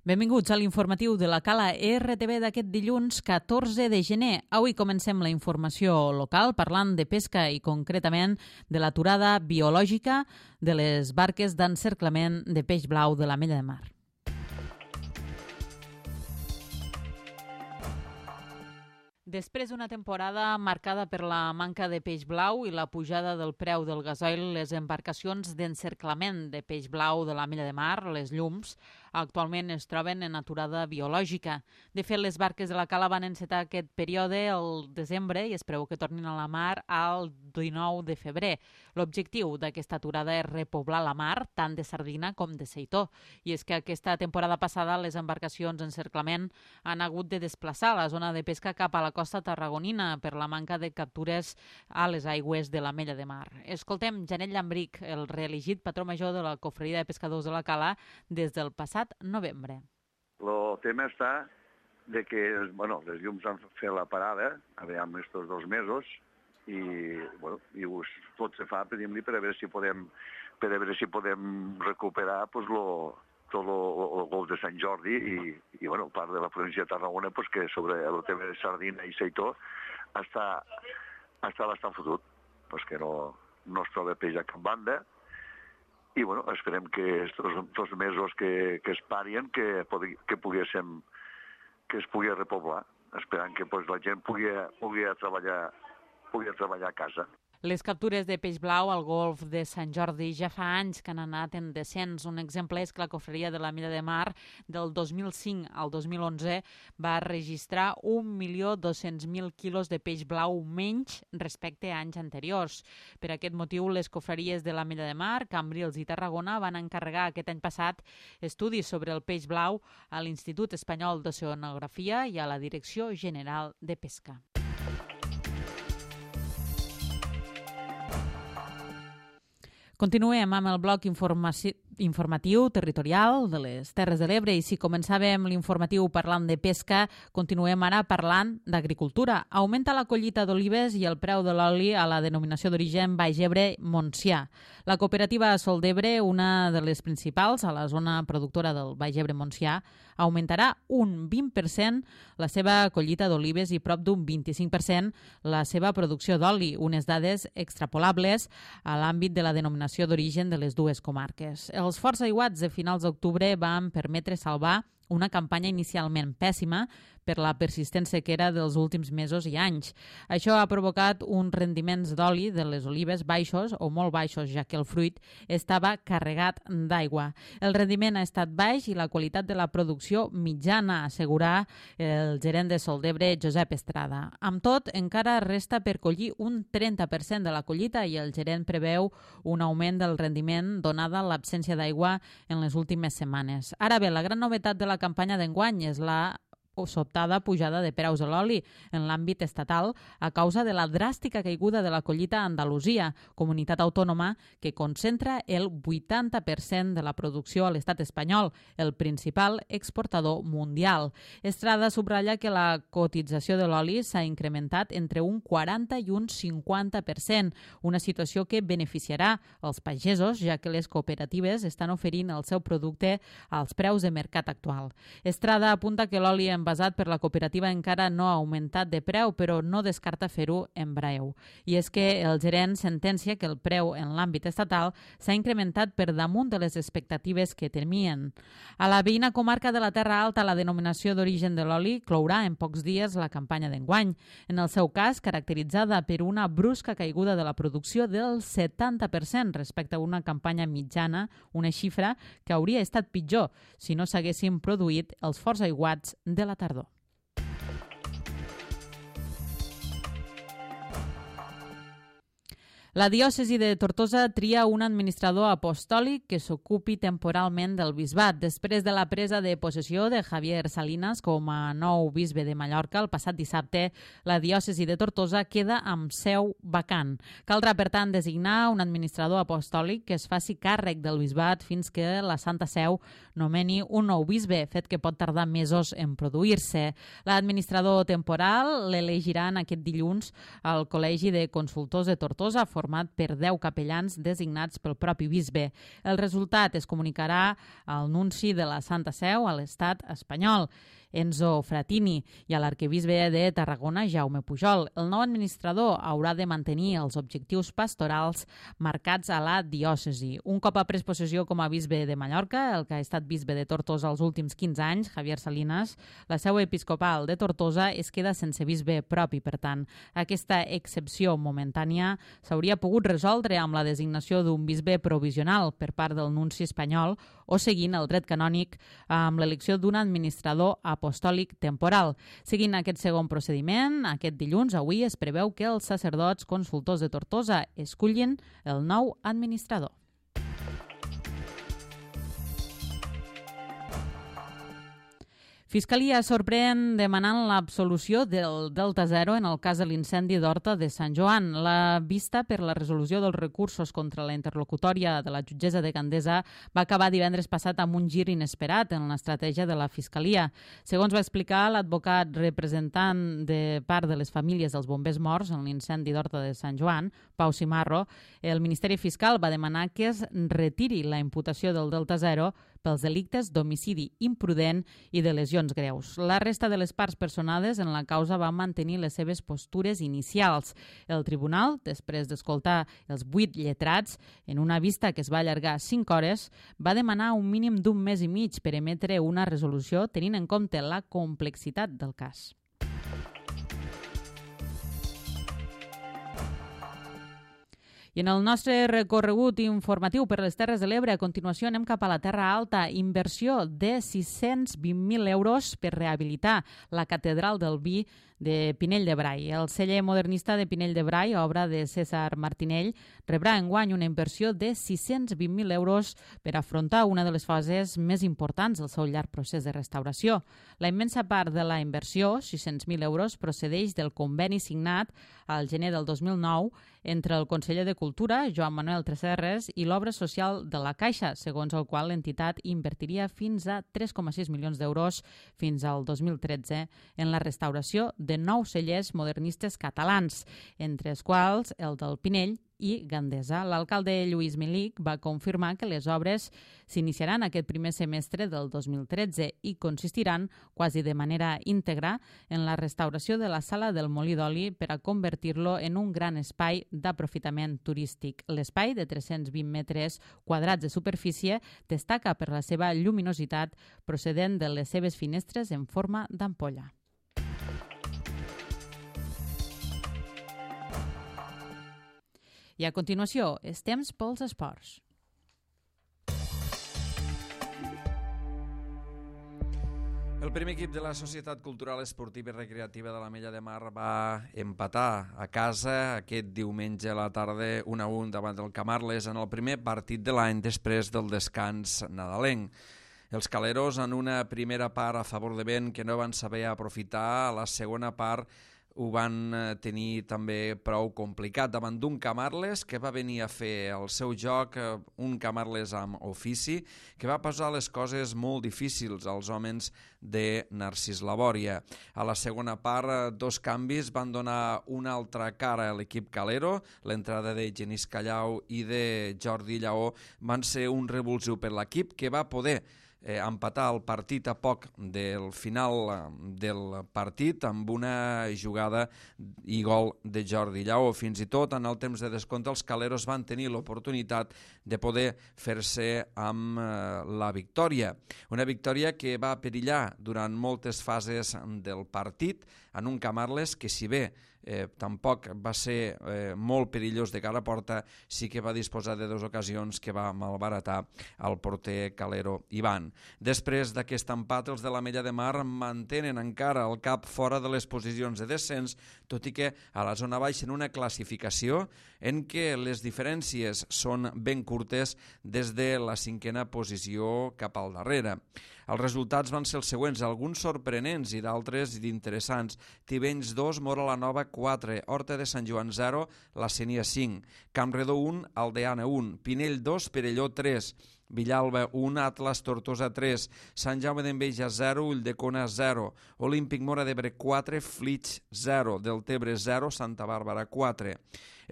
Benvinguts a l'informatiu de la Cala RTV d'aquest dilluns 14 de gener. Avui comencem la informació local parlant de pesca i concretament de l'aturada biològica de les barques d'encerclament de peix blau de l'Ametlla de Mar. Després d'una temporada marcada per la manca de peix blau i la pujada del preu del gasoil, les embarcacions d'encerclament de peix blau de l'Ametlla de Mar, les llums, actualment es troben en aturada biològica. De fet, les barques de la Cala van encetar aquest període al desembre i es preveu que tornin a la mar al 19 de febrer. L'objectiu d'aquesta aturada és repoblar la mar, tant de sardina com de seitó. I és que aquesta temporada passada les embarcacions d'encerclament han hagut de desplaçar la zona de pesca cap a la costa tarragonina per la manca de captures a les aigües de l'Ametlla de Mar. Escoltem Janet Llambric, el reelegit patró major de la Cofreria de Pescadors de la Cala des del passat novembre. El tema està de que les llums han fet la parada, amb estos 2 mesos, i tot se fa, per a veure si podem recuperar tot el golf de Sant Jordi i part de la província de Tarragona, que sobre el tema de sardina i seitó està bastant fotut, que no es troba peix a cap banda. I esperem que aquests 2 mesos que es parien que es pugui repoblar, esperant que la gent pugui treballar a casa. Les captures de peix blau al golf de Sant Jordi ja fa anys que han anat en descens. Un exemple és que la Cofreria de l'Ametlla de Mar del 2005 al 2011 va registrar 1.200.000 quilos de peix blau menys respecte a anys anteriors. Per aquest motiu, les cofreries de l'Ametlla de Mar, Cambrils i Tarragona van encarregar aquest any passat estudis sobre el peix blau a l'Institut Espanyol d'Oceanografia i a la Direcció General de Pesca. Continuem amb el bloc informatiu territorial de les Terres de l'Ebre i si començàvem l'informatiu parlant de pesca, continuem ara parlant d'agricultura. Augmenta la collita d'olives i el preu de l'oli a la denominació d'origen Baix Ebre-Montsià. La cooperativa Sol d'Ebre, una de les principals a la zona productora del Baix Ebre-Montsià, augmentarà un 20% la seva collita d'olives i prop d'un 25% la seva producció d'oli, unes dades extrapolables a l'àmbit de la denominació d'origen de les dues comarques. Els forts aiguats de finals d'octubre van permetre salvar una campanya inicialment pèssima per la persistent sequera dels últims mesos i anys. Això ha provocat uns rendiments d'oli de les olives baixos o molt baixos, ja que el fruit estava carregat d'aigua. El rendiment ha estat baix i la qualitat de la producció mitjana, assegurà el gerent de Sol d'Ebre, Josep Estrada. Amb tot, encara resta per collir un 30% de la collita i el gerent preveu un augment del rendiment donada l'absència d'aigua en les últimes setmanes. Ara bé, la gran novetat de la campanya d'enguany és la sobtada pujada de preus de l'oli en l'àmbit estatal a causa de la dràstica caiguda de la collita a Andalusia, comunitat autònoma que concentra el 80% de la producció a l'estat espanyol, el principal exportador mundial. Estrada subratlla que la cotització de l'oli s'ha incrementat entre un 40 i un 50%, una situació que beneficiarà els pagesos, ja que les cooperatives estan oferint el seu producte als preus de mercat actual. Estrada apunta que l'oli envasat per la cooperativa encara no ha augmentat de preu, però no descarta fer-ho en breu. I és que el gerent sentencia que el preu en l'àmbit estatal s'ha incrementat per damunt de les expectatives que temien. A la veïna comarca de la Terra Alta, la denominació d'origen de l'oli clourà en pocs dies la campanya d'enguany. En el seu cas, caracteritzada per una brusca caiguda de la producció del 70% respecte a una campanya mitjana, una xifra que hauria estat pitjor si no s'haguessin produït els forts aiguats de la tardor. La diòcesi de Tortosa tria un administrador apostòlic que s'ocupi temporalment del bisbat. Després de la presa de possessió de Javier Salinas com a nou bisbe de Mallorca el passat dissabte, la diòcesi de Tortosa queda amb seu vacant. Caldrà, per tant, designar un administrador apostòlic que es faci càrrec del bisbat fins que la Santa Seu nomeni un nou bisbe, fet que pot tardar mesos en produir-se. L'administrador temporal l'elegiran aquest dilluns al Col·legi de Consultors de Tortosa, format per 10 capellans designats pel propi bisbe. El resultat es comunicarà al nunci de la Santa Seu a l'Estat espanyol, Enzo Fratini, i a l'arquebisbe de Tarragona, Jaume Pujol. El nou administrador haurà de mantenir els objectius pastorals marcats a la diòcesi. Un cop ha pres possessió com a bisbe de Mallorca, el que ha estat bisbe de Tortosa els últims 15 anys, Javier Salinas, la seu episcopal de Tortosa es queda sense bisbe propi. Per tant, aquesta excepció momentània s'hauria pogut resoldre amb la designació d'un bisbe provisional per part del nunci espanyol o seguint el dret canònic amb l'elecció d'un administrador apostòlic temporal. Seguint aquest segon procediment, aquest dilluns, avui, es preveu que els sacerdots consultors de Tortosa escullin el nou administrador. Fiscalia sorprèn demanant l'absolució del Delta Zero en el cas de l'incendi d'Horta de Sant Joan. La vista per la resolució dels recursos contra la interlocutòria de la jutgessa de Gandesa va acabar divendres passat amb un gir inesperat en l'estratègia de la Fiscalia. Segons va explicar l'advocat representant de part de les famílies dels bombers morts en l'incendi d'Horta de Sant Joan, Pau Cimarro, el Ministeri Fiscal va demanar que es retiri la imputació del Delta Zero pels delictes d'homicidi imprudent i de lesions greus. La resta de les parts personades en la causa van mantenir les seves postures inicials. El tribunal, després d'escoltar els 8 lletrats, en una vista que es va allargar 5 hores, va demanar un mínim d'un mes i mig per emetre una resolució tenint en compte la complexitat del cas. I en el nostre recorregut informatiu per les Terres de l'Ebre, a continuació anem cap a la Terra Alta. Inversió de 620.000 euros per rehabilitar la Catedral del Vi de Pinell de Brai. El celler modernista de Pinell de Brai, obra de César Martinell, rebrà enguany una inversió de 620.000 euros per afrontar una de les fases més importants del seu llarg procés de restauració. La immensa part de la inversió, 600.000 euros, procedeix del conveni signat al gener del 2009 entre el conseller de Cultura, Joan Manuel Tresserres, i l'obra social de la Caixa, segons el qual l'entitat invertiria fins a 3,6 milions d'euros fins al 2013 en la restauració de 9 cellers modernistes catalans, entre els quals el del Pinell i Gandesa. L'alcalde Lluís Milic va confirmar que les obres s'iniciaran aquest primer semestre del 2013 i consistiran quasi de manera íntegra en la restauració de la sala del Molí d'Oli per a convertir-lo en un gran espai d'aprofitament turístic. L'espai, de 320 metres quadrats de superfície, destaca per la seva lluminositat procedent de les seves finestres en forma d'ampolla. I a continuació, és temps pels esports. El primer equip de la Societat Cultural Esportiva i Recreativa de l'Ametlla de Mar va empatar a casa aquest diumenge a la tarda 1-1 davant del Camarles en el primer partit de l'any després del descans nadalenc. Els caleros, en una primera part a favor de vent que no van saber aprofitar, a la segona part ho van tenir també prou complicat davant d'un Camarles que va venir a fer el seu joc, un Camarles amb ofici, que va posar les coses molt difícils als homes de Narcís Labòria. A la segona part, 2 canvis van donar una altra cara a l'equip calero. L'entrada de Genís Callau i de Jordi Lleó van ser un revulsiu per l'equip que va poder empatar el partit a poc del final del partit amb una jugada i gol de Jordi Lleó. Fins i tot en el temps de descompte els caleros van tenir l'oportunitat de poder fer-se amb la victòria. Una victòria que va perillar durant moltes fases del partit en un Camarles que, si bé tampoc va ser molt perillós de cara a porta, sí que va disposar de 2 ocasions que va malbaratar el porter calero Ivan. Després d'aquest empat, els de l'Ametlla de Mar mantenen encara el cap fora de les posicions de descens, tot i que a la zona baixa en una classificació en què les diferències són ben curtes des de la 5a posició cap al darrere. Els resultats van ser els següents, alguns sorprenents i d'altres interessants. Tivenys 2, Móra la Nova 4, Horta de Sant Joan 0, la Sénia 5, Campredó 1, Aldeana 1, Pinell 2, Perelló 3, Villalba 1, Atlas Tortosa 3, Sant Jaume d'Enveja 0, Ulldecona 0, Olímpic Móra d'Ebre 4, Flix 0, Deltebre 0, Santa Bàrbara 4.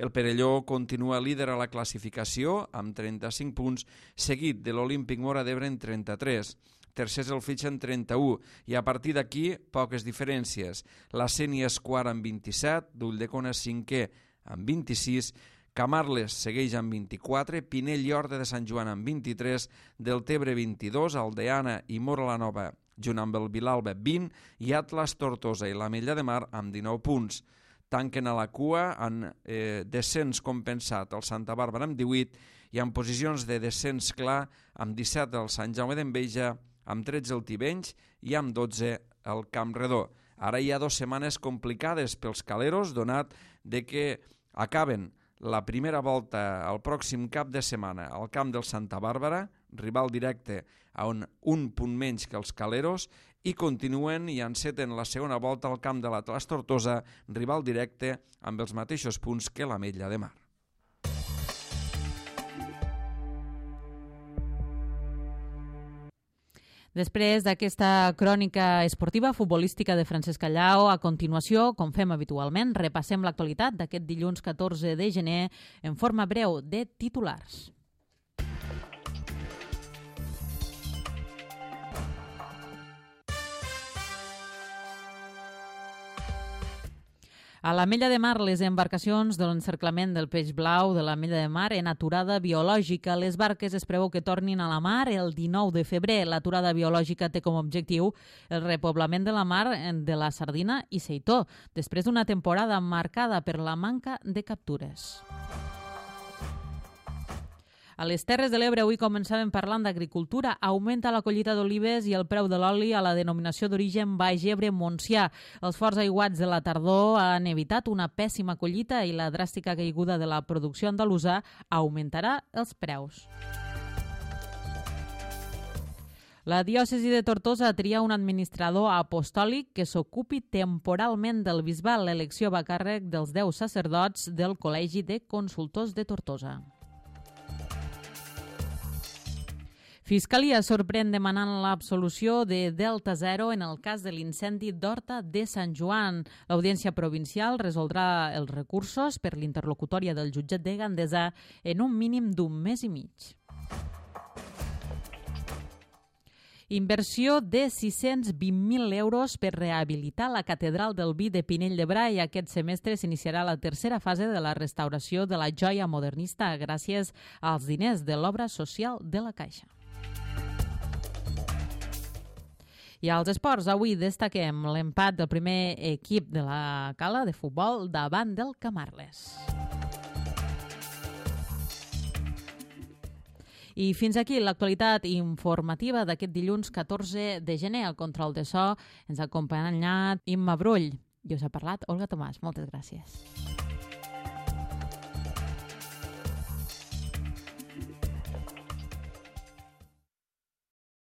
El Perelló continua líder a la classificació amb 35 punts, seguit de l'Olímpic Móra d'Ebre en 33. Tercer és el Flix en 31 i a partir d'aquí poques diferències. La Sénia és quart amb 27, d'Ulldecona 5è amb 26, Camarles segueix amb 24, Pinell i Horta de Sant Joan amb 23, Deltebre 22, Aldeana i Móra la Nova, junt amb el Vilalba 20 i Atlas, Tortosa i l'Ametlla de Mar amb 19 punts. Tanquen a la cua en descens compensat el Santa Bàrbara amb 18 i en posicions de descens clar amb 17 el Sant Jaume d'Enveja, amb 13 el Tivenys i amb 12 el Campredó. Ara hi ha 2 setmanes complicades pels caleros, donat de que acaben la primera volta el pròxim cap de setmana al camp del Santa Bàrbara, rival directe a un punt menys que els caleros, i continuen i enceten la segona volta al camp de l'Atlas Tortosa, rival directe amb els mateixos punts que l'Ametlla de Mar. Després d'aquesta crònica esportiva futbolística de Francesc Callau, a continuació, com fem habitualment, repassem l'actualitat d'aquest dilluns 14 de gener en forma breu de titulars. A l'Ametlla de Mar, les embarcacions de l'encerclament del peix blau de l'Ametlla de Mar en aturada biològica. Les barques es preveu que tornin a la mar el 19 de febrer. L'aturada biològica té com a objectiu el repoblament de la mar de la sardina i seitó, després d'una temporada marcada per la manca de captures. A les Terres de l'Ebre avui començàvem parlant d'agricultura. Augmenta la collita d'olives i el preu de l'oli a la denominació d'origen Baix Ebre-Montsià. Els forts aiguats de la tardor han evitat una pèssima collita i la dràstica caiguda de la producció andalusa augmentarà els preus. La diòcesi de Tortosa tria un administrador apostòlic que s'ocupi temporalment del bisbat. L'elecció va a càrrec dels 10 sacerdots del Col·legi de Consultors de Tortosa. Fiscalia sorprèn demanant l'absolució de Delta Zero en el cas de l'incendi d'Horta de Sant Joan. L'Audiència Provincial resoldrà els recursos per l'interlocutòria del jutjat de Gandesa en un mínim d'un mes i mig. Inversió de 620.000 euros per rehabilitar la Catedral del Vi de Pinell de Brai. Aquest semestre s'iniciarà la tercera fase de la restauració de la joia modernista gràcies als diners de l'obra social de la Caixa. I als esports, avui destaquem l'empat del primer equip de la Cala de futbol davant del Camarles. I fins aquí l'actualitat informativa d'aquest dilluns 14 de gener. Al control de so ens ha acompanyat Imma Brull. I us ha parlat Olga Tomàs. Moltes gràcies.